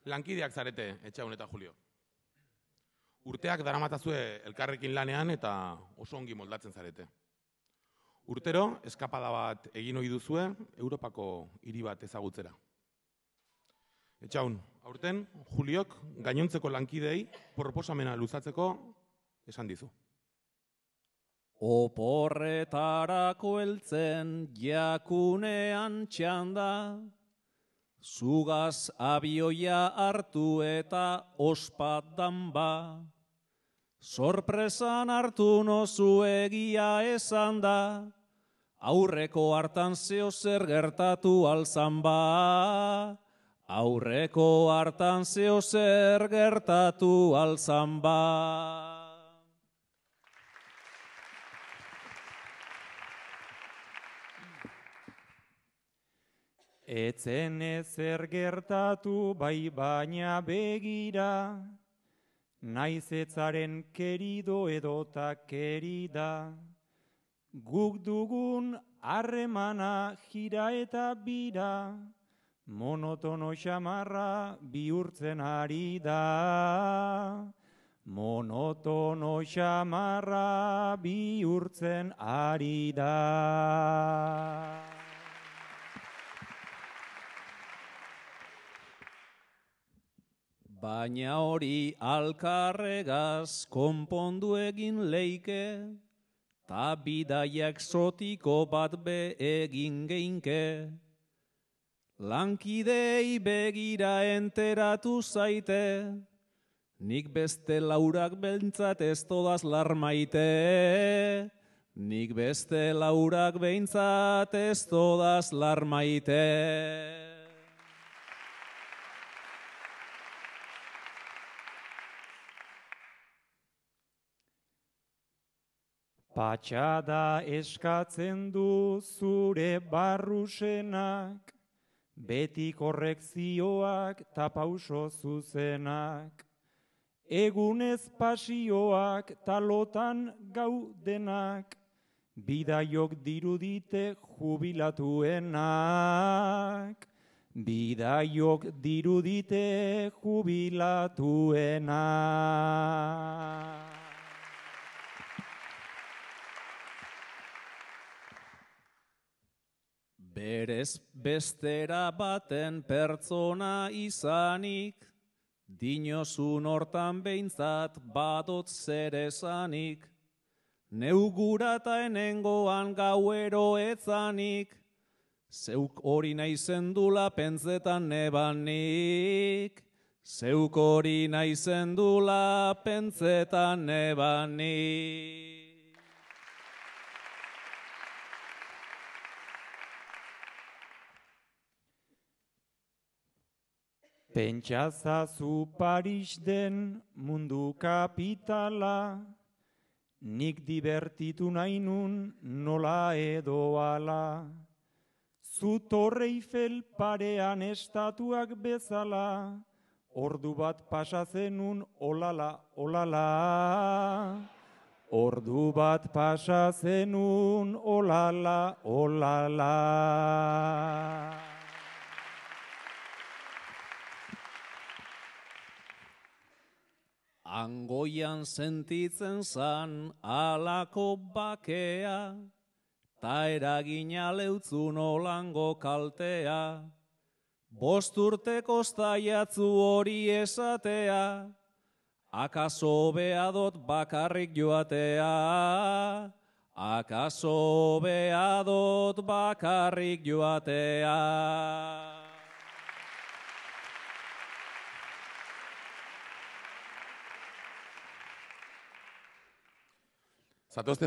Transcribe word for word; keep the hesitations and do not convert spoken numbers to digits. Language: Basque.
Lankideak zarete, Etxaun eta Julio. Urteak daramatazue elkarrekin lanean eta oso ongi moldatzen zarete. Urtero, eskapada bat egin ohi duzue, Europako hiri bat ezagutzera. Etxaun, aurten, Juliok gainontzeko lankidei proposamena luzatzeko esan dizu. Oporretarako heltzen jakunean txanda, zugaz abioia hartu eta ospatan ba. Sorpresan hartu nozu egia esan da, aurreko hartan zeo zer gertatu alzan ba. Aurreko hartan zeo zer gertatu alzan ba. Etzen ezer gertatu bai baina begira, naiz etzaren kerido edota kerida. Guk dugun harremana jira eta bira, monotono xamarra bihurtzen ari da. Monotono xamarra bihurtzen ari da. Baina hori alkarregaz konpondu egin leike, ta bidaia exotiko bat be egin geinke. Lankidei begira enteratu zaite, nik beste laurak behintzat ez todaz larmaite. Nik beste laurak behintzat ez todaz larmaite. Patxada eskatzen du zure barrusenak, beti korrekzioak ta pauso zuzenak. Egunez pasioak talotan gaudenak, bidaiok dirudite jubilatuenak. Bidaiok dirudite jubilatuenak. Berez bestera baten pertsona izanik, dinozun hortan behintzat badot zer esanik. Neugurata enengoan gauero etzanik, zeuk hori naizendula pentsetan nebanik. Zeuk hori naizendula pentsetan nebanik. Pentsazazu Paris den mundu kapitala, nik divertitu nahi nun nola edo ala. Zu Torre Eiffel parean estatuak bezala, ordu bat pasa zenun olala, olala. Ordu bat pasa zenun olala, olala. Angoian sentitzen zan alako bakea, ta eragina leutzun olango kaltea. Bost urteko zaiatzu hori esatea, akaso beadot bakarrik joatea. Akaso beadot bakarrik joatea. Zatozte